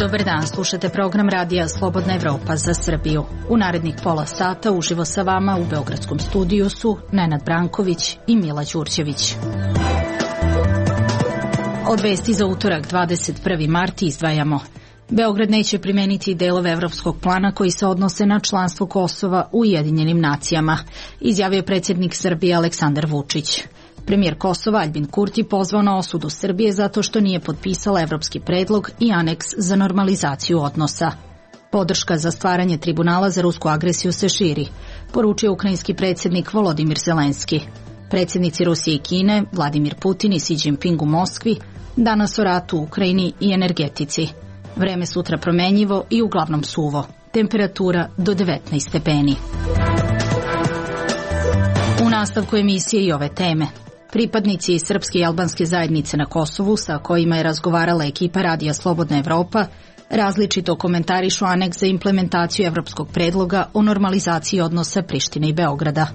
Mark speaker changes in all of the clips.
Speaker 1: Dobar dan, slušate program radija Slobodna Evropa za Srbiju. U narednih pola sata uživo sa vama u beogradskom studiju su Nenad Branković i Mila Đurđević. Od vesti za utorak 21. mart izdvajamo: Beograd neće primeniti delove evropskog plana koji se odnose na članstvo Kosova u Ujedinjenim nacijama, izjavio predsjednik Srbije Aleksandar Vučić. Premijer Kosova Aljbin Kurti pozvao na osudu Srbije zato što nije potpisala evropski predlog i aneks za normalizaciju odnosa. Podrška za stvaranje tribunala za rusku agresiju se širi, poručio ukrajinski predsjednik Volodimir Zelenski. Predsjednici Rusije i Kine, Vladimir Putin i Xi Jinping u Moskvi, danas o ratu u Ukrajini i energetici. Vreme sutra promenjivo i uglavnom suvo. Temperatura do 19 stepeni. U nastavku emisije i ove teme. Pripadnici srpske i albanske zajednice na Kosovu, sa kojima je razgovarala ekipa radija Slobodna Evropa, različito komentarišu aneks za implementaciju evropskog predloga o normalizaciji odnosa Prištine i Beograda.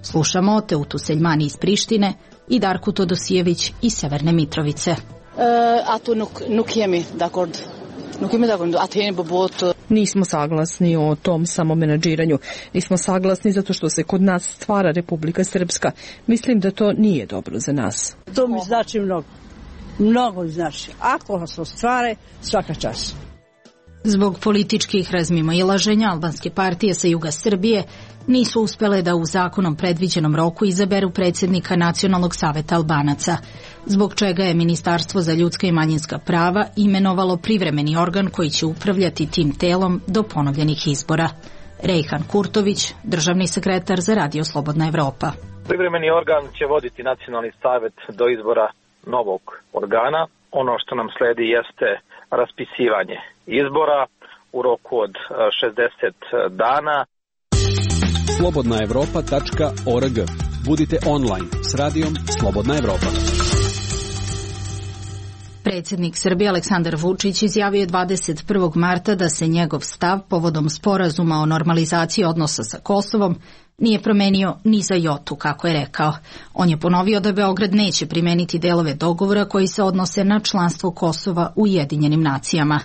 Speaker 1: Slušamo Teutu Seljmani iz Prištine i Darku Todosijević iz Severne Mitrovice.
Speaker 2: Nismo saglasni o tom samomenadžiranju. Nismo saglasni zato što se kod nas stvara Republika Srpska. Mislim da to nije dobro za nas.
Speaker 3: To mi znači mnogo. Mnogo znači. Ako se ostvare, svaka čast.
Speaker 1: Zbog političkih razmimoilaženja albanske partije sa juga Srbije nisu uspele da u zakonom predviđenom roku izaberu predsjednika Nacionalnog saveta Albanaca, zbog čega je Ministarstvo za ljudska i manjinska prava imenovalo privremeni organ koji će upravljati tim telom do ponovljenih izbora. Rejhan Kurtović, državni sekretar za Radio Slobodna Evropa.
Speaker 4: Privremeni organ će voditi Nacionalni savet do izbora novog organa. Ono što nam sledi jeste raspisivanje izbora u roku od 60 dana.
Speaker 5: slobodnaevropa.org. Budite online s radijom Slobodna Evropa.
Speaker 1: Predsjednik Srbije Aleksandar Vučić izjavio je 21. marta da se njegov stav povodom sporazuma o normalizaciji odnosa sa Kosovom nije promenio ni za jotu, kako je rekao. On je ponovio da Beograd neće primeniti delove dogovora koji se odnose na članstvo Kosova u Ujedinjenim nacijama.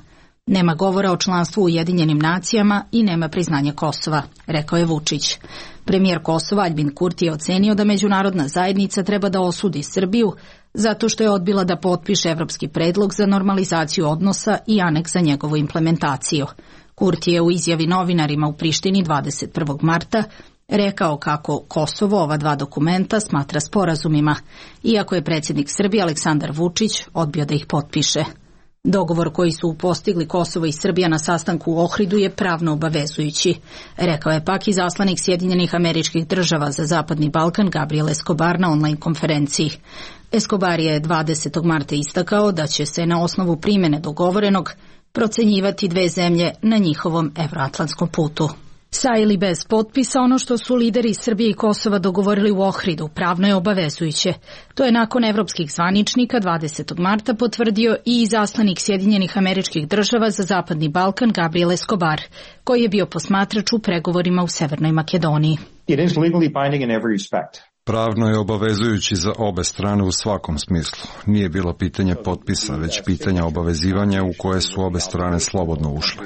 Speaker 1: Nema govora o članstvu u Ujedinjenim nacijama i nema priznanja Kosova, rekao je Vučić. Premijer Kosova Aljbin Kurti je ocenio da međunarodna zajednica treba da osudi Srbiju zato što je odbila da potpiše evropski predlog za normalizaciju odnosa i aneks za njegovu implementaciju. Kurti je u izjavi novinarima u Prištini 21. marta rekao kako Kosovo ova dva dokumenta smatra sporazumima, iako je predsjednik Srbije Aleksandar Vučić odbio da ih potpiše. Dogovor koji su postigli Kosovo i Srbija na sastanku u Ohridu je pravno obavezujući, rekao je pak izaslanik Sjedinjenih Američkih Država za Zapadni Balkan Gabriel Escobar na online konferenciji. Escobar je 20. marta istakao da će se na osnovu primjene dogovorenog procenjivati dve zemlje na njihovom evroatlantskom putu. Sa ili bez potpisa, ono što su lideri Srbije i Kosova dogovorili u Ohridu pravno je obavezujuće. To je nakon evropskih zvaničnika 20. marta potvrdio i izaslanik Sjedinjenih Američkih Država za Zapadni Balkan Gabriel Escobar, koji je bio posmatrač u pregovorima u Severnoj Makedoniji.
Speaker 6: It is legally binding in every respect.
Speaker 7: Pravno je obavezujući za obe strane u svakom smislu. Nije bilo pitanje potpisa, već pitanja obavezivanja u koje su obe strane slobodno ušle.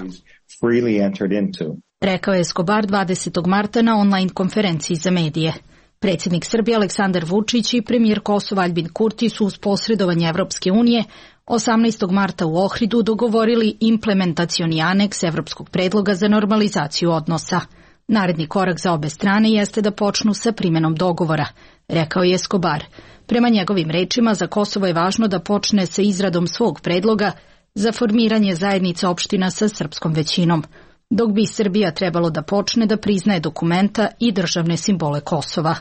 Speaker 1: Rekao je Escobar 20. marta na online konferenciji za medije. Predsjednik Srbije Aleksandar Vučić i premijer Kosova Aljbin Kurti su uz posredovanje Evropske unije 18. marta u Ohridu dogovorili implementacioni aneks evropskog predloga za normalizaciju odnosa. Naredni korak za obe strane jeste da počnu sa primjenom dogovora, rekao je Escobar. Prema njegovim rečima, za Kosovo je važno da počne sa izradom svog predloga za formiranje zajednice opština sa srpskom većinom, dok bi Srbija trebalo da počne da priznaje dokumenta i državne simbole Kosova.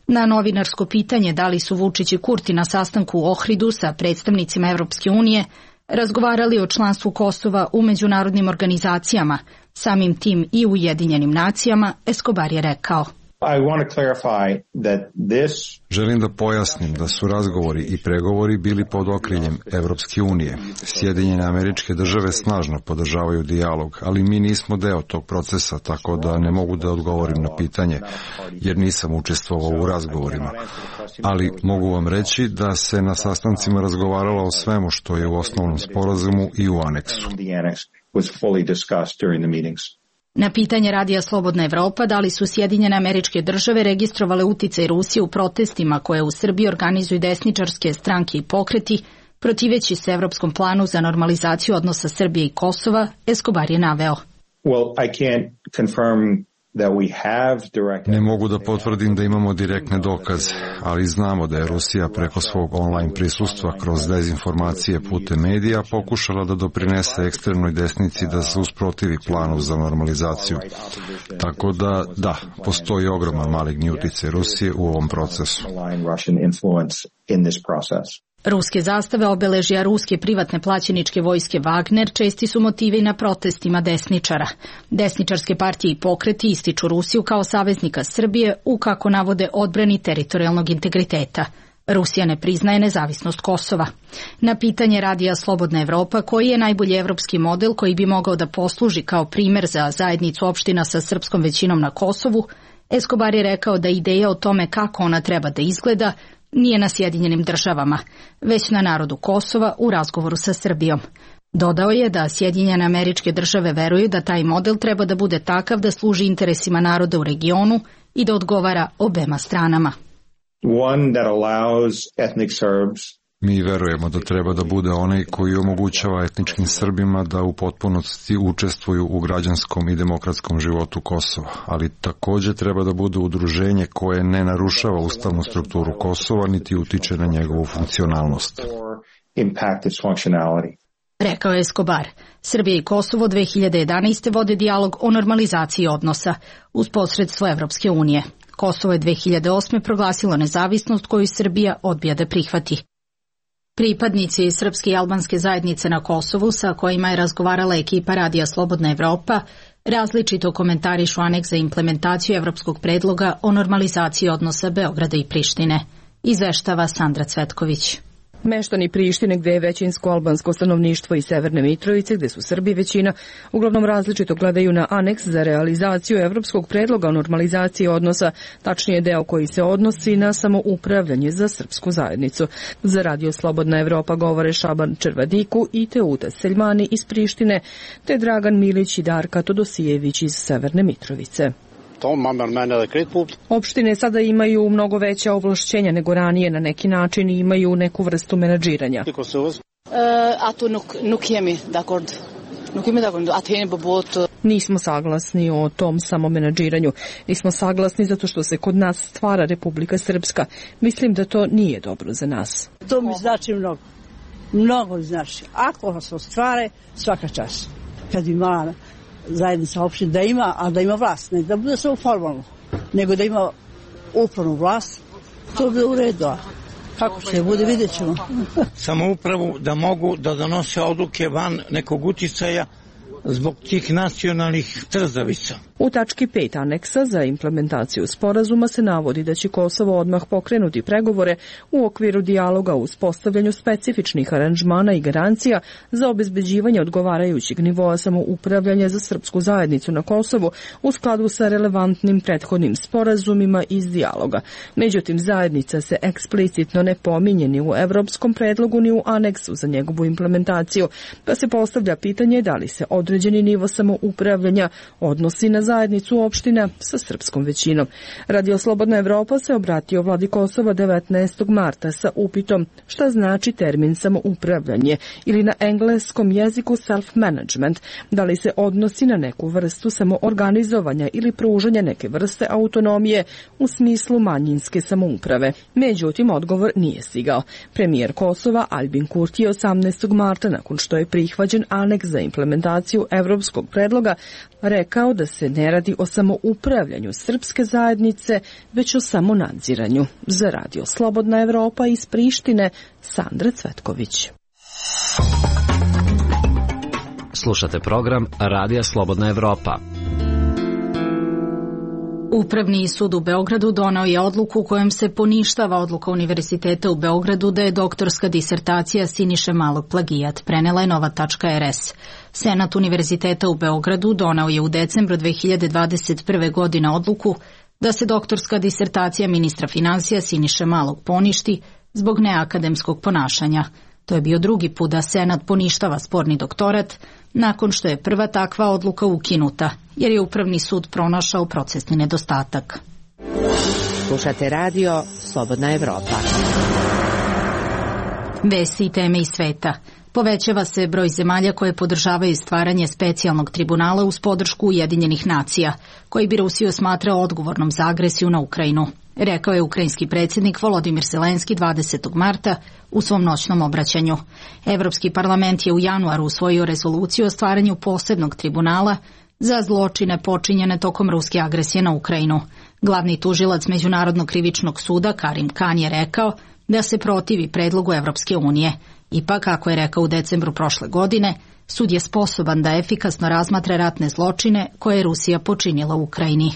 Speaker 1: Na novinarsko pitanje da li su Vučić i Kurti na sastanku u Ohridu sa predstavnicima Evropske unije razgovarali o članstvu Kosova u međunarodnim organizacijama, samim tim i u Ujedinjenim nacijama, Escobar je rekao:
Speaker 7: Želim da pojasnim da su razgovori i pregovori bili pod okriljem Evropske unije. Sjedinjene Američke Države snažno podržavaju dijalog, ali mi nismo deo tog procesa, tako da ne mogu da odgovorim na pitanje, jer nisam učestvovao u razgovorima. Ali mogu vam reći da se na sastancima razgovaralo o svemu što je u osnovnom sporazumu i u aneksu.
Speaker 6: was fully discussed during the meetings.
Speaker 1: Na pitanje Radija Slobodna Evropa da li su Sjedinjene Američke Države registrovale uticaj Rusije u protestima koje u Srbiji organizuju desničarske stranke i pokreti, protiveći se evropskom planu za normalizaciju odnosa Srbije i Kosova, Escobar je naveo.
Speaker 7: Ne mogu da potvrdim da imamo direktne dokaze, ali znamo da je Rusija preko svog online prisustva kroz dezinformacije putem medija pokušala da doprinese ekstremnoj desnici da se usprotivi planu za normalizaciju. Tako da, postoji ogroman maligni uticaj Rusije u ovom procesu.
Speaker 1: Ruske zastave, obeležja ruske privatne plaćeničke vojske Wagner česti su motivi na protestima desničara. Desničarske partije i pokreti ističu Rusiju kao saveznika Srbije u, kako navode, odbrani teritorijalnog integriteta. Rusija ne priznaje nezavisnost Kosova. Na pitanje Radija Slobodna Evropa koji je najbolji evropski model koji bi mogao da posluži kao primer za zajednicu opština sa srpskom većinom na Kosovu, Escobar je rekao da ideja o tome kako ona treba da izgleda nije na Sjedinjenim Državama, već na narodu Kosova u razgovoru sa Srbijom. Dodao je da Sjedinjene Američke Države veruju da taj model treba da bude takav da služi interesima naroda u regionu i da odgovara obema stranama.
Speaker 7: Mi verujemo da treba da bude onaj koji omogućava etničkim Srbima da u potpunosti učestvuju u građanskom i demokratskom životu Kosova, ali takođe treba da bude udruženje koje ne narušava ustavnu strukturu Kosova niti utiče na njegovu funkcionalnost.
Speaker 1: Rekao je Escobar. Srbija i Kosovo 2011. vode dijalog o normalizaciji odnosa uz posredstvo Evropske unije. Kosovo je 2008. proglasilo nezavisnost koju Srbija odbija da prihvati. Pripadnici srpske i albanske zajednice na Kosovu sa kojima je razgovarala ekipa Radija Slobodna Evropa različito komentarišu aneks za implementaciju evropskog predloga o normalizaciji odnosa Beograda i Prištine. Izveštava Sandra Cvetković.
Speaker 2: Meštani Prištine, gde je većinsko albansko stanovništvo i Severne Mitrovice, gde su Srbi većina, uglavnom različito gledaju na aneks za realizaciju evropskog predloga o normalizaciji odnosa, tačnije deo koji se odnosi na samoupravljanje za srpsku zajednicu. Za Radio Slobodna Evropa govore Šaban Červadiku i Teuta Seljmani iz Prištine, te Dragan Milić i Darka Todosijević iz Severne Mitrovice. Opštine sada imaju mnogo veća ovlašćenja nego ranije, na neki način i imaju neku vrstu menadžiranja. Nismo saglasni o tom samomenadžiranju. Nismo saglasni zato što se kod nas stvara Republika Srpska. Mislim da to nije dobro za nas.
Speaker 3: To mi znači mnogo. Mnogo znači. Ako se ostvare, svaka čast. Kad ima zajednica opština da ima, a da ima vlast, ne da bude samo formalno, nego da ima upravnu vlast, to bi u redu. Kako će bude, vidjet ćemo.
Speaker 8: Samoupravu da mogu da donose odluke van nekog uticaja zbog tih nacionalnih trzavica.
Speaker 2: U tački 5 aneksa za implementaciju sporazuma se navodi da će Kosovo odmah pokrenuti pregovore u okviru dijaloga o uspostavljanju specifičnih aranžmana i garancija za obezbeđivanje odgovarajućeg nivoa samoupravljanja za srpsku zajednicu na Kosovu u skladu sa relevantnim prethodnim sporazumima iz dijaloga. Međutim, zajednica se eksplicitno ne pominje ni u evropskom predlogu ni u aneksu za njegovu implementaciju, pa se postavlja pitanje da li se određeni nivo samoupravljanja odnosi na zajednicu opština sa srpskom većinom. Radio Slobodna Evropa se obratio vladi Kosova 19. marta sa upitom šta znači termin samoupravljanje ili na engleskom jeziku self-management, da li se odnosi na neku vrstu samoorganizovanja ili pružanja neke vrste autonomije u smislu manjinske samouprave. Međutim, odgovor nije stigao. Premijer Kosova Albin Kurti je 18. marta, nakon što je prihvaćen aneks za implementaciju evropskog predloga, rekao da se ne radi o samoupravljanju srpske zajednice, već o samonadziranju. Za Radio Slobodna Evropa iz Prištine, Sandra Cvetković.
Speaker 9: Slušate program Radija Slobodna Evropa.
Speaker 1: Upravni sud u Beogradu donao je odluku kojom se poništava odluka Univerziteta u Beogradu da je doktorska disertacija Siniše Malog plagijat, prenela je Nova.rs. Senat Univerziteta u Beogradu donao je u decembru 2021. godine odluku da se doktorska disertacija ministra finansija Siniše Malog poništi zbog neakademskog ponašanja. To je bio drugi put da Senat poništava sporni doktorat nakon što je prva takva odluka ukinuta, jer je Upravni sud pronašao procesni nedostatak.
Speaker 10: Slušate radio Slobodna Evropa.
Speaker 1: Vesti i teme iz sveta. Povećava se broj zemalja koje podržavaju stvaranje specijalnog tribunala uz podršku Ujedinjenih nacija, koji bi Rusiju smatrao odgovornom za agresiju na Ukrajinu, rekao je ukrajinski predsjednik Volodimir Zelenski 20. marta u svom noćnom obraćanju. Evropski parlament je u januaru usvojio rezoluciju o stvaranju posebnog tribunala za zločine počinjene tokom ruske agresije na Ukrajinu. Glavni tužilac Međunarodnog krivičnog suda Karim Khan je rekao da se protivi predlogu Evropske unije. Ipak, kako je rekao u decembru prošle godine, sud je sposoban da efikasno razmatra ratne zločine koje je Rusija počinila u Ukrajini.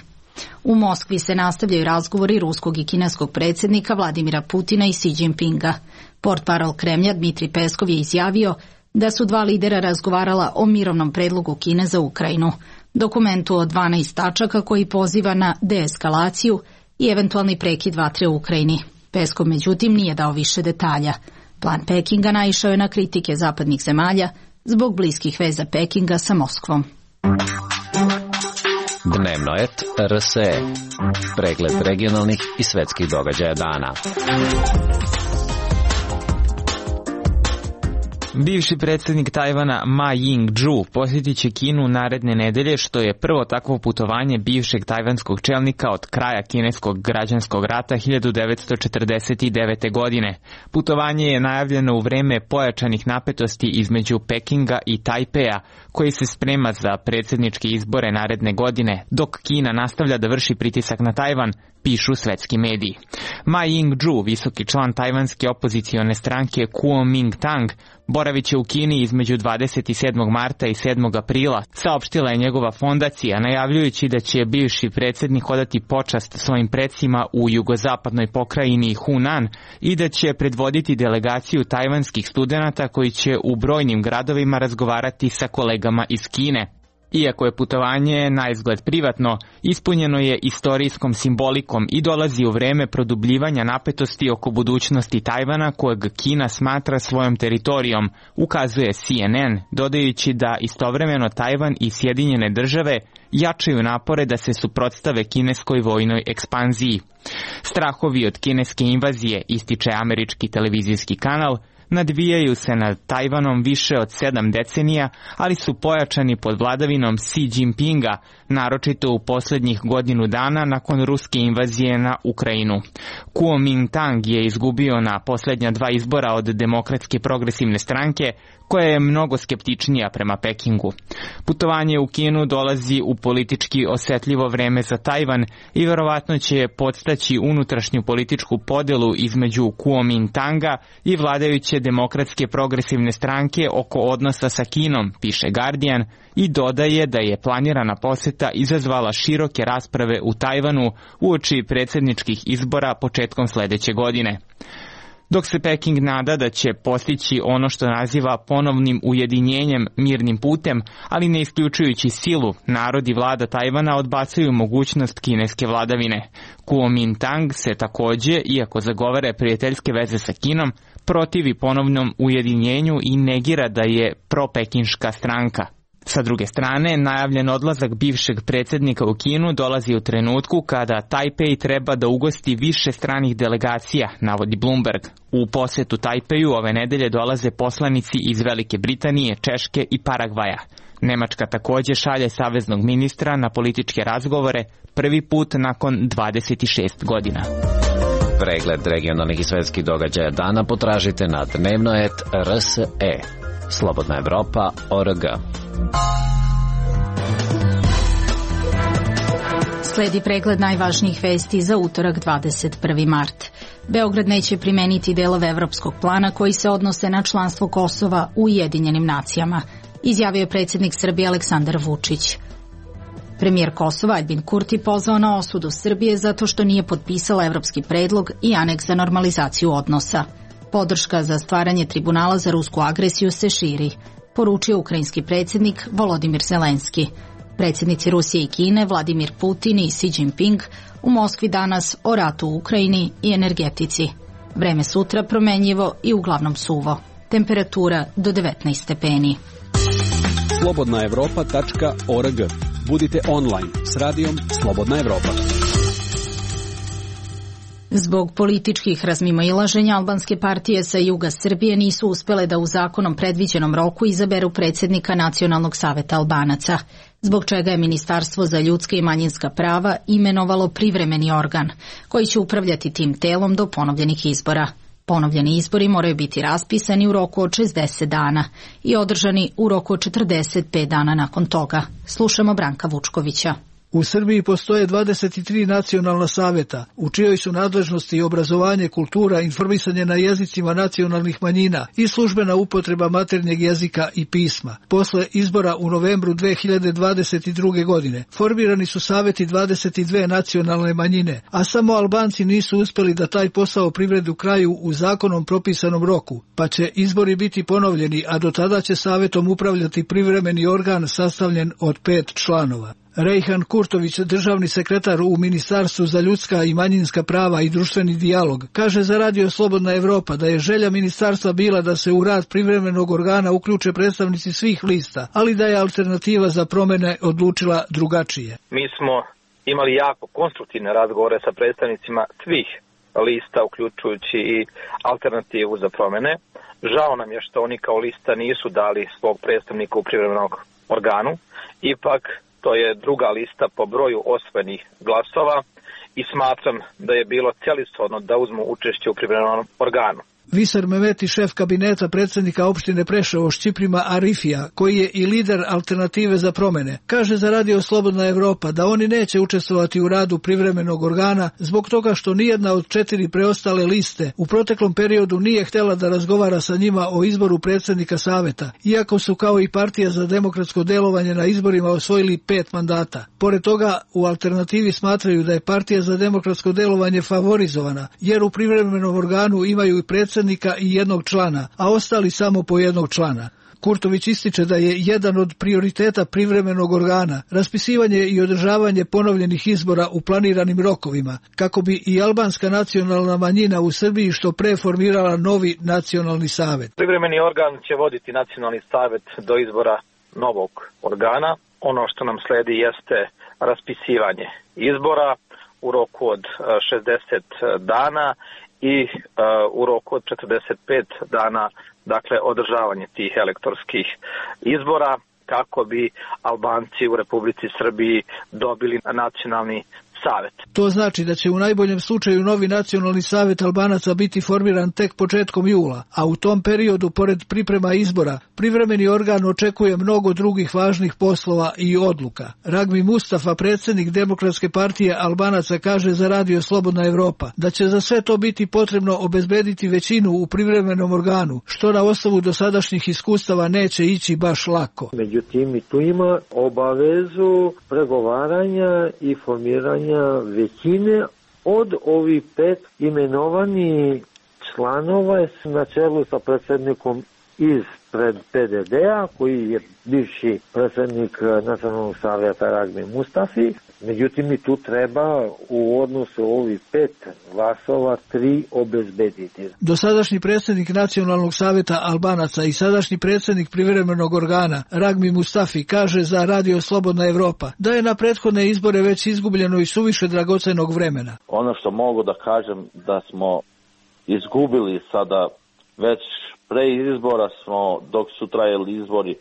Speaker 1: U Moskvi se nastavljaju razgovori ruskog i kineskog predsjednika Vladimira Putina i Xi Jinpinga. Portparol Kremlja Dmitri Peskov je izjavio da su dva lidera razgovarala o mirovnom predlogu Kine za Ukrajinu, dokumentu od 12 tačaka koji poziva na deeskalaciju i eventualni prekid vatre u Ukrajini. Peskov međutim nije dao više detalja. Plan Pekinga naišao je na kritike zapadnih zemalja zbog bliskih veza Pekinga sa Moskvom.
Speaker 9: Dnevnoet RSE. Pregled regionalnih i svetskih događaja dana.
Speaker 11: Bivši predsjednik Tajvana Ma Ying-jeou posjetit će Kinu naredne nedelje, što je prvo takvo putovanje bivšeg tajvanskog čelnika od kraja kineskog građanskog rata 1949. godine. Putovanje je najavljeno u vreme pojačanih napetosti između Pekinga i Tajpeja, koji se sprema za predsjedničke izbore naredne godine, dok Kina nastavlja da vrši pritisak na Tajvan, pišu svetski mediji. Ma Ying-jeou, visoki član tajvanske opozicione stranke Kuomintang, boravit će u Kini između 27. marta i 7. aprila, saopštila je njegova fondacija, najavljujući da će bivši predsjednik odati počast svojim predsima u jugozapadnoj pokrajini Hunan i da će predvoditi delegaciju tajvanskih studenata koji će u brojnim gradovima razgovarati sa kolegama iz Kine. Iako je putovanje na izgled privatno, ispunjeno je istorijskom simbolikom i dolazi u vreme produbljivanja napetosti oko budućnosti Tajvana, kojeg Kina smatra svojom teritorijom, ukazuje CNN, dodajući da istovremeno Tajvan i Sjedinjene države jačaju napore da se suprotstave kineskoj vojnoj ekspanziji. Strahovi od kineske invazije, ističe američki televizijski kanal, nadvijaju se nad Tajvanom više od 7 decenija, ali su pojačani pod vladavinom Xi Jinpinga, naročito u posljednjih godinu dana nakon ruske invazije na Ukrajinu. Kuomintang je izgubio na posljednja 2 izbora od Demokratske progresivne stranke, koja je mnogo skeptičnija prema Pekingu. Putovanje u Kinu dolazi u politički osetljivo vreme za Tajvan i verovatno će podstaći unutrašnju političku podelu između Kuomintanga i vladajuće Demokratske progresivne stranke oko odnosa sa Kinom, piše Guardian, i dodaje da je planirana poseta izazvala široke rasprave u Tajvanu uoči predsjedničkih izbora početkom sljedeće godine. Dok se Peking nada da će postići ono što naziva ponovnim ujedinjenjem mirnim putem, ali ne isključujući silu, narod i vlada Tajvana odbacuju mogućnost kineske vladavine. Kuomintang se također, iako zagovara prijateljske veze sa Kinom, protivi ponovnom ujedinjenju i negira da je propekinška stranka. Sa druge strane, najavljen odlazak bivšeg predsjednika u Kinu dolazi u trenutku kada Tajpej treba da ugosti više stranih delegacija, navodi Bloomberg. U posjetu Tajpeju ove nedelje dolaze poslanici iz Velike Britanije, Češke i Paragvaja. Nemačka također šalje saveznog ministra na političke razgovore, prvi put nakon 26 godina.
Speaker 9: Pregled regionalnih i svetskih događaja dana potražite na dnevnoet.rse. Slobodna Evropa.org.
Speaker 1: Sledi pregled najvažnijih vesti za utorak 21. mart. Beograd neće primeniti delove evropskog plana koji se odnose na članstvo Kosova u Ujedinjenim nacijama, izjavio je predsjednik Srbije Aleksandar Vučić. Premijer Kosova Aljbin Kurti pozvao na osudu Srbije zato što nije potpisala evropski predlog i aneks za normalizaciju odnosa. Podrška za stvaranje tribunala za rusku agresiju se širi, poručio ukrajinski predsjednik Volodimir Zelenski. Predsjednici Rusije i Kine, Vladimir Putin i Xi Jinping u Moskvi danas o ratu u Ukrajini i energetici. Vreme sutra promenljivo i uglavnom suvo. Temperatura do 19 stepeni.
Speaker 5: slobodnaevropa.org. Budite online s radijom Slobodna Evropa.
Speaker 1: Zbog političkih razmimoilaženja albanske partije sa juga Srbije nisu uspele da u zakonom predviđenom roku izaberu predsjednika Nacionalnog saveta Albanaca, zbog čega je Ministarstvo za ljudska i manjinska prava imenovalo privremeni organ, koji će upravljati tim telom do ponovljenih izbora. Ponovljeni izbori moraju biti raspisani u roku od 60 dana i održani u roku od 45 dana nakon toga. Slušamo Branka Vučkovića.
Speaker 12: U Srbiji postoje 23 nacionalna saveta, u čijoj su nadležnosti obrazovanje, kultura, informisanje na jezicima nacionalnih manjina i službena upotreba maternjeg jezika i pisma. Posle izbora u novembru 2022. godine formirani su saveti 22 nacionalne manjine, a samo Albanci nisu uspeli da taj posao privredu kraju u zakonom propisanom roku, pa će izbori biti ponovljeni, a do tada će savetom upravljati privremeni organ sastavljen od 5 članova. Rejhan Kurtović, državni sekretar u Ministarstvu za ljudska i manjinska prava i društveni dijalog, kaže za Radio Slobodna Evropa da je želja ministarstva bila da se u rad privremenog organa uključe predstavnici svih lista, ali da je alternativa za promene odlučila drugačije.
Speaker 4: Mi smo imali jako konstruktivne razgovore sa predstavnicima svih lista, uključujući i alternativu za promene. Žao nam je što oni kao lista nisu dali svog predstavnika u privremenog organu. Ipak, to je druga lista po broju osvojenih glasova i smatram da je bilo celishodno da uzmu učešće u privremenom organu.
Speaker 12: Visar Mehmeti, šef kabineta predsjednika opštine Preševo Šćiprima Arifija, koji je i lider alternative za promene, kaže za Radio Slobodna Evropa da oni neće učestvovati u radu privremenog organa zbog toga što nijedna od 4 preostale liste u proteklom periodu nije htjela da razgovara sa njima o izboru predsjednika saveta, iako su kao i Partija za demokratsko delovanje na izborima osvojili 5 mandata. Pored toga, u alternativi smatraju da je Partija za demokratsko delovanje favorizovana, jer u privremenom organu imaju i predsjednika i jednog člana, a ostali samo po jednog člana. Kurtović ističe da je jedan od prioriteta privremenog organa raspisivanje i održavanje ponovljenih izbora u planiranim rokovima, kako bi i albanska nacionalna manjina u Srbiji što pre formirala novi nacionalni savet.
Speaker 4: Privremeni organ će voditi nacionalni savet do izbora novog organa. Ono što nam sledi jeste raspisivanje izbora u roku od 60 dana i u roku od 45 dana, dakle, održavanje tih elektorskih izbora kako bi Albanci u Republici Srbiji dobili nacionalni savet.
Speaker 12: To znači da će u najboljem slučaju novi nacionalni savet Albanaca biti formiran tek početkom jula, a u tom periodu, pored priprema izbora, privremeni organ očekuje mnogo drugih važnih poslova i odluka. Ragmi Mustafa, predsjednik Demokratske partije Albanaca, kaže za Radio Slobodna Evropa da će za sve to biti potrebno obezbediti većinu u privremenom organu, što na osnovu dosadašnjih iskustava neće ići baš lako.
Speaker 13: Međutim, i tu ima obavezu pregovaranja i formiranja većine od ovih 5 imenovani članova na čelu sa predsjednikom iz PDD-a, koji je bivši predsjednik Nacionalnog savjeta Ragmi Mustafi. Međutim, i tu treba u odnosu ovih 5 glasova 3 obezbediti.
Speaker 12: Dosadašnji predsjednik Nacionalnog savjeta Albanaca i sadašnji predsjednik privremenog organa Ragmi Mustafi kaže za Radio Slobodna Evropa da je na prethodne izbore već izgubljeno i suviše dragocenog vremena.
Speaker 14: Ono što mogu da kažem da smo izgubili sada već pre izbora smo, dok su trajali izbori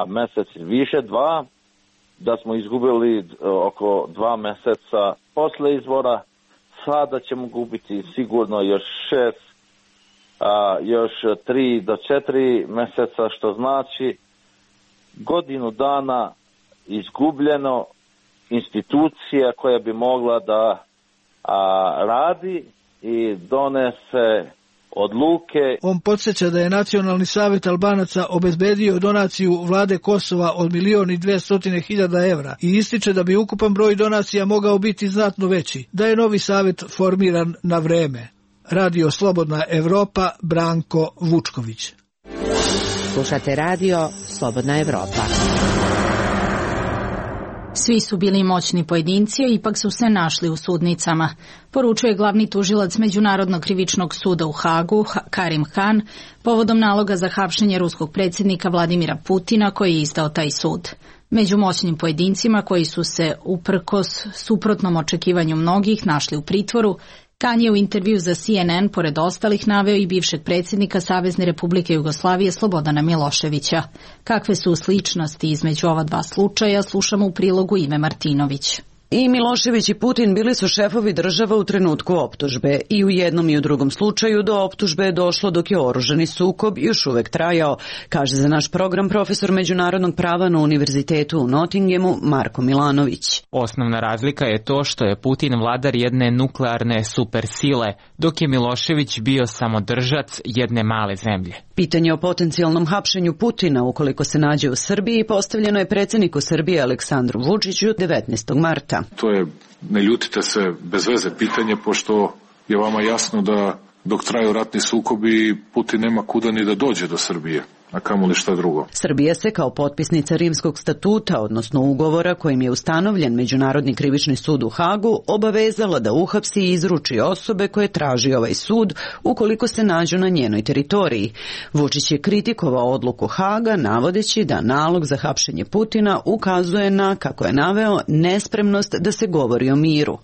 Speaker 14: mesec više, 2, da smo izgubili oko 2 meseca posle izbora. Sada ćemo gubiti sigurno još 6, još 3 do 4 meseca, što znači godinu dana izgubljeno institucija koja bi mogla da radi i donese odluke.
Speaker 12: On podsjeća da je Nacionalni savjet Albanaca obezbedio donaciju vlade Kosova od 1.200.000 evra i ističe da bi ukupan broj donacija mogao biti znatno veći, da je novi savjet formiran na vreme. Radio Slobodna Evropa, Branko Vučković.
Speaker 10: Slušate Radio Slobodna Evropa.
Speaker 1: Svi su bili moćni pojedinci, a ipak su se našli u sudnicama, poručuje glavni tužilac Međunarodnog krivičnog suda u Hagu, Karim Khan, povodom naloga za hapšenje ruskog predsjednika Vladimira Putina koji je izdao taj sud. Među moćnim pojedincima koji su se uprkos suprotnom očekivanju mnogih našli u pritvoru, Khan je u intervju za CNN pored ostalih naveo i bivšeg predsjednika Savezne Republike Jugoslavije Slobodana Miloševića. Kakve su sličnosti između ova dva slučaja, slušamo u prilogu Ive Martinović.
Speaker 15: I Milošević i Putin bili su šefovi država u trenutku optužbe i u jednom i u drugom slučaju do optužbe je došlo dok je oružani sukob još uvek trajao, kaže za naš program profesor međunarodnog prava na Univerzitetu u Nottinghamu Marko Milanović.
Speaker 11: Osnovna razlika je to što je Putin vladar jedne nuklearne supersile, dok je Milošević bio samodržac jedne male zemlje.
Speaker 15: Pitanje o potencijalnom hapšenju Putina ukoliko se nađe u Srbiji postavljeno je predsjedniku Srbije Aleksandru Vučiću 19. marta.
Speaker 16: To je, ne ljutite se, bez veze pitanje, pošto je vama jasno da dok traju ratni sukobi Putin nema kuda ni da dođe do Srbije, a kamoli šta drugo.
Speaker 15: Srbija se kao potpisnica Rimskog statuta, odnosno ugovora kojim je ustanovljen Međunarodni krivični sud u Hagu, obavezala da uhapsi i izruči osobe koje traži ovaj sud ukoliko se nađu na njenoj teritoriji. Vučić je kritikovao odluku Haga navodeći da nalog za hapšenje Putina ukazuje na, kako je naveo, nespremnost da se govori o miru.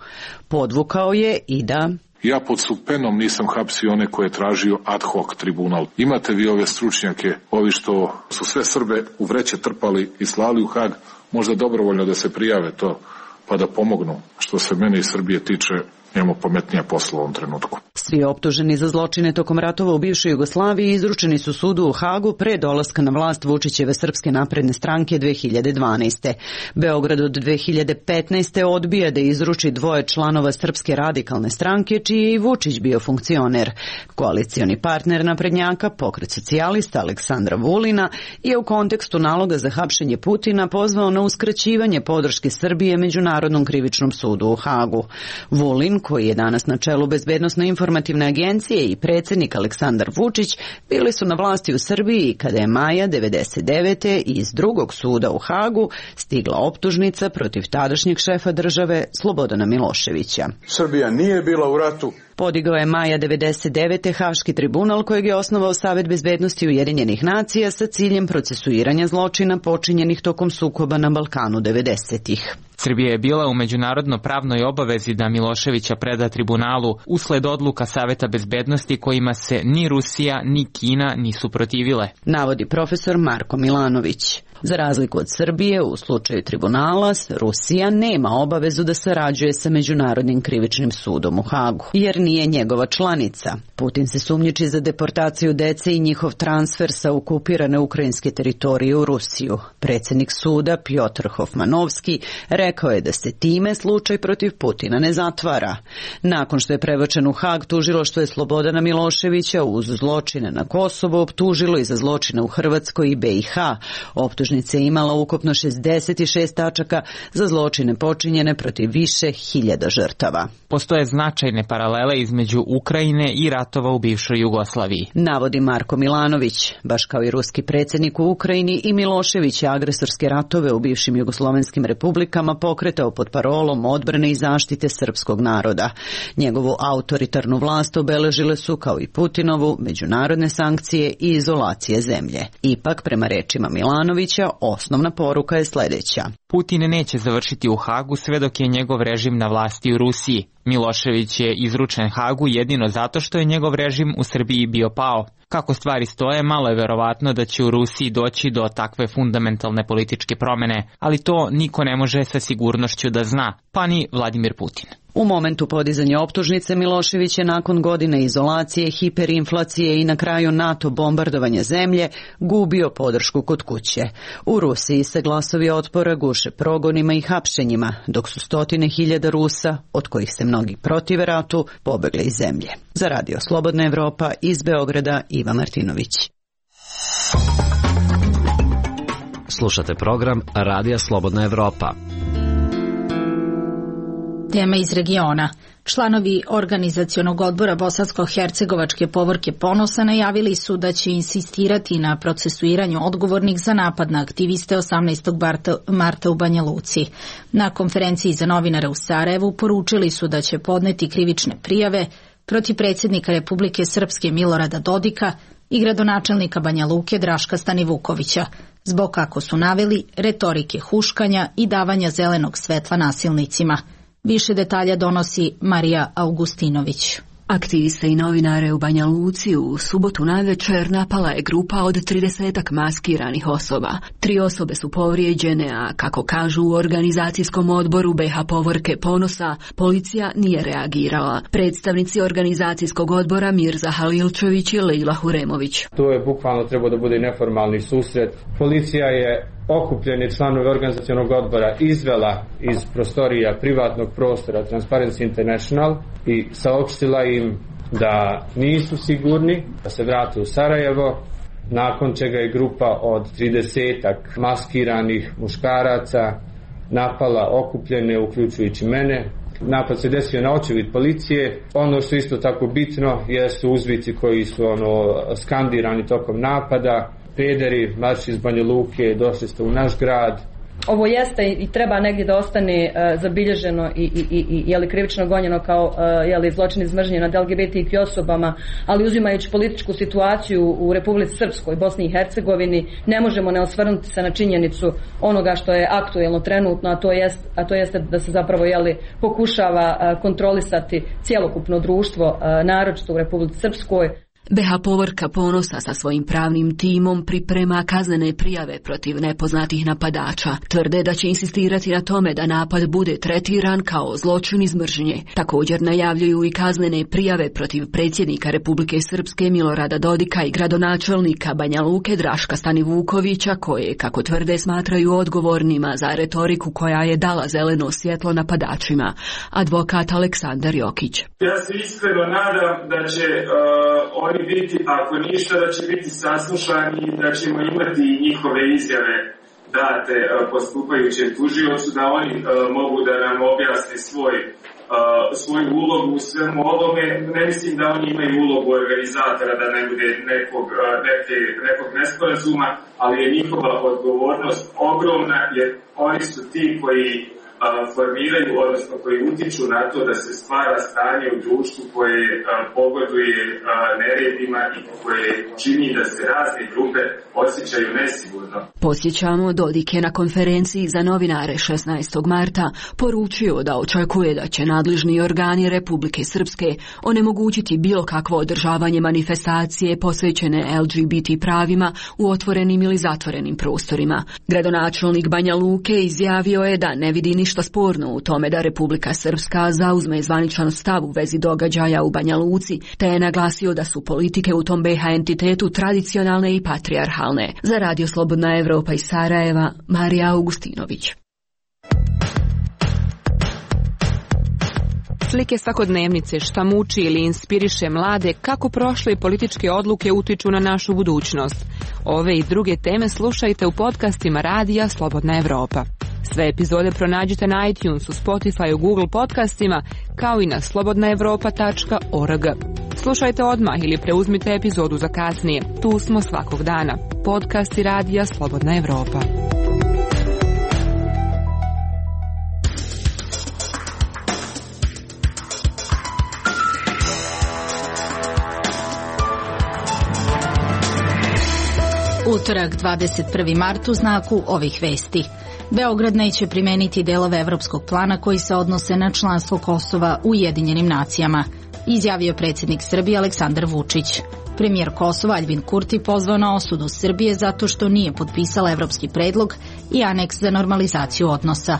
Speaker 15: Podvukao je i da...
Speaker 16: Ja pod supenom nisam hapsio one koje je tražio ad hoc tribunal. Imate vi ove stručnjake, ovi što su sve Srbe u vreće trpali i slali u Hag, možda dobrovoljno da se prijave to, pa da pomognu. Što se mene i Srbije tiče, imamo pametnija posla u ovom trenutku.
Speaker 15: Svi optuženi za zločine tokom ratova u bivšoj Jugoslaviji izručeni su sudu u Hagu pre dolaska na vlast Vučićeve Srpske napredne stranke 2012. Beograd od 2015. odbija da izruči dvoje članova Srpske radikalne stranke, čiji je i Vučić bio funkcioner. Koalicioni partner naprednjaka, Pokret socijalista Aleksandra Vulina, je u kontekstu naloga za hapšenje Putina pozvao na uskraćivanje podrške Srbije Međunarodnom krivičnom sudu u Hagu. Vulin, koji je danas na čelu Bezbednosno-informativne agencije, i predsjednik Aleksandar Vučić bili su na vlasti u Srbiji kada je maja 1999. iz drugog suda u Hagu stigla optužnica protiv tadašnjeg šefa države Slobodana Miloševića.
Speaker 17: Srbija nije bila u ratu.
Speaker 15: Podigao je maja 1999. Haški tribunal kojeg je osnovao Savet bezbednosti Ujedinjenih nacija sa ciljem procesuiranja zločina počinjenih tokom sukoba na Balkanu 90-ih.
Speaker 11: Srbija je bila u međunarodno pravnoj obavezi da Miloševića preda tribunalu usled odluka Saveta bezbednosti kojima se ni Rusija ni Kina nisu protivile,
Speaker 15: navodi profesor Marko Milanović. Za razliku od Srbije, u slučaju tribunala, Rusija nema obavezu da sarađuje sa Međunarodnim krivičnim sudom u Hagu, jer nije njegova članica. Putin se sumnjiči za deportaciju dece i njihov transfer sa okupirane ukrajinske teritorije u Rusiju. Predsjednik suda Pjotr Hofmanovski rekao je da se time slučaj protiv Putina ne zatvara. Nakon što je prebačen u Hag, tužilaštvo je Slobodana Miloševića uz zločine na Kosovo optužilo i za zločine u Hrvatskoj i BiH. Optužnica je imala ukupno 66 tačaka za zločine počinjene protiv više hiljada žrtava.
Speaker 11: Postoje značajne paralele između Ukrajine i ratova u bivšoj Jugoslaviji,
Speaker 15: navodi Marko Milanović. Baš kao i ruski predsjednik u Ukrajini, i Milošević je agresorske ratove u bivšim jugoslovenskim republikama pokretao pod parolom odbrane i zaštite srpskog naroda. Njegovu autoritarnu vlast obeležile su, kao i Putinovu, međunarodne sankcije i izolacije zemlje. Ipak, prema rečima Milanovića, osnovna poruka je sljedeća.
Speaker 11: Putin neće završiti u Hagu sve dok je njegov režim na vlasti u Rusiji. Milošević je izručen Hagu jedino zato što je njegov režim u Srbiji bio pao. Kako stvari stoje, malo je verovatno da će u Rusiji doći do takve fundamentalne političke promjene, ali to niko ne može sa sigurnošću da zna, pa ni Vladimir Putin.
Speaker 15: U momentu podizanja optužnice Milošević je nakon godine izolacije, hiperinflacije i na kraju NATO bombardovanja zemlje gubio podršku kod kuće. U Rusiji se glasovi otpora guše progonima i hapšenjima, dok su stotine hiljada Rusa, od kojih se mnogi protive ratu, pobegli iz zemlje. Za Radio Slobodna Evropa iz Beograda, Iva Martinović.
Speaker 9: Slušate program Radija Slobodna Evropa.
Speaker 1: Tema iz regiona. Članovi organizacionog odbora Bosansko-Hercegovačke povorke Ponosa najavili su da će insistirati na procesuiranju odgovornih za napad na aktiviste 18. marta u Banja Luci. Na konferenciji za novinare u Sarajevu poručili su da će podneti krivične prijave protiv predsjednika Republike Srpske Milorada Dodika i gradonačelnika Banja Luke Draška Stanivukovića, zbog, kako su naveli, retorike huškanja i davanja zelenog svetla nasilnicima. Više detalja donosi Marija Augustinović.
Speaker 18: Aktiviste i novinare u Banja Luci u subotu navečer napala je grupa od 30 maskiranih osoba. 3 osobe su povrijeđene, a kako kažu u organizacijskom odboru BH Povorke Ponosa, policija nije reagirala. Predstavnici organizacijskog odbora Mirza Halilčević i Lejla Huremović.
Speaker 19: To je bukvalno trebao da bude neformalni susret. Policija je okupljeni članovi organizacionog odbora izvela iz prostorija privatnog prostora Transparency International i saopštila im da nisu sigurni, da se vrate u Sarajevo, nakon čega je grupa od 30-ak maskiranih muškaraca napala okupljene, uključujući mene. Napad se desio na očevid policije. Ono što je isto tako bitno jesu uzvici koji su skandirani tokom napada. Pederi, marš iz Banja Luke, došli ste u naš grad.
Speaker 20: Ovo jeste i treba negdje da ostane zabilježeno i krivično gonjeno kao zločin iz mržnje nad LGBTQ osobama, ali uzimajući političku situaciju u Republici Srpskoj, Bosni i Hercegovini, ne možemo ne osvrnuti se na činjenicu onoga što je aktuelno trenutno, a to jeste da se zapravo pokušava kontrolisati cjelokupno društvo, naročito u Republici Srpskoj.
Speaker 18: BH Povorka Ponosa sa svojim pravnim timom priprema kaznene prijave protiv nepoznatih napadača. Tvrde da će insistirati na tome da napad bude tretiran kao zločin iz mržnje. Također najavljuju i kaznene prijave protiv predsjednika Republike Srpske Milorada Dodika i gradonačelnika Banja Luke Draška Stanivukovića, koje, kako tvrde, smatraju odgovornima za retoriku koja je dala zeleno svjetlo napadačima. Advokat Aleksandar Jokić.
Speaker 21: Ja se iskreno nadam da će oni biti, ako ništa, da će biti saslušani i da ćemo imati njihove izjave date postupajućem tužiocu, da oni mogu da nam objasne svoju ulogu u svemu ovome. Ne mislim da oni imaju ulogu organizatora, da ne bude nekog nesporazuma, ali je njihova odgovornost ogromna, jer oni su ti koji formiraju, odnosno koji utiču na to da se stvara stanje u društvu koje pogoduje neredima i koje čini da se razne grupe osjećaju nesigurno.
Speaker 18: Posjećamo, Dodik je na konferenciji za novinare 16. marta poručio da očekuje da će nadležni organi Republike Srpske onemogućiti bilo kakvo održavanje manifestacije posvećene LGBT pravima u otvorenim ili zatvorenim prostorima. Gradonačelnik Banja Luke izjavio je da ne vidi ništa sporno u tome da Republika Srpska zauzme zvaničan stav u vezi događaja u Banja Luci, te je naglasio da su politike u tom BH entitetu tradicionalne i patrijarhalne. Za Radio Slobodna Evropa iz Sarajeva, Marija Augustinović.
Speaker 22: Slike svakodnevnice, šta muči ili inspiriše mlade, kako prošle političke odluke utiču na našu budućnost. Ove i druge teme slušajte u podcastima Radija Slobodna Evropa. Sve epizode pronađite na iTunesu, Spotifyu, Google podcastima, kao i na slobodnaevropa.org. Slušajte odmah ili preuzmite epizodu za kasnije. Tu smo svakog dana. Podcasti Radija Slobodna Evropa.
Speaker 1: Utorak 21. mart u znaku ovih vesti. Beograd neće primeniti delove evropskog plana koji se odnose na članstvo Kosova u Ujedinjenim nacijama, izjavio predsjednik Srbije Aleksandar Vučić. Premijer Kosova Aljbin Kurti pozvao na osudu Srbije zato što nije potpisala evropski predlog i aneks za normalizaciju odnosa.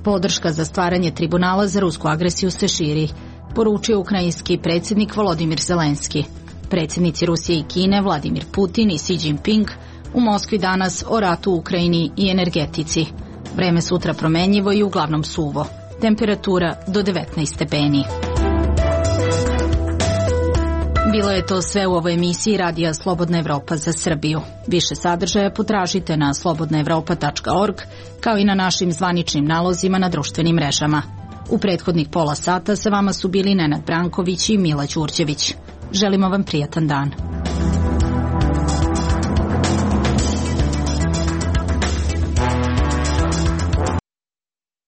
Speaker 1: Podrška za stvaranje tribunala za rusku agresiju se širi, poručio ukrajinski predsjednik Volodimir Zelenski. Predsjednici Rusije i Kine Vladimir Putin i Xi Jinping u Moskvi danas o ratu u Ukrajini i energetici. Vreme sutra promenjivo i uglavnom suvo. Temperatura do 19 stepeni. Bilo je to sve u ovoj emisiji Radija Slobodna Evropa za Srbiju. Više sadržaja potražite na slobodnaevropa.org, kao i na našim zvaničnim nalozima na društvenim mrežama. U prethodnih pola sata sa vama su bili Nenad Branković i Mila Đurđević. Želimo vam prijatan dan.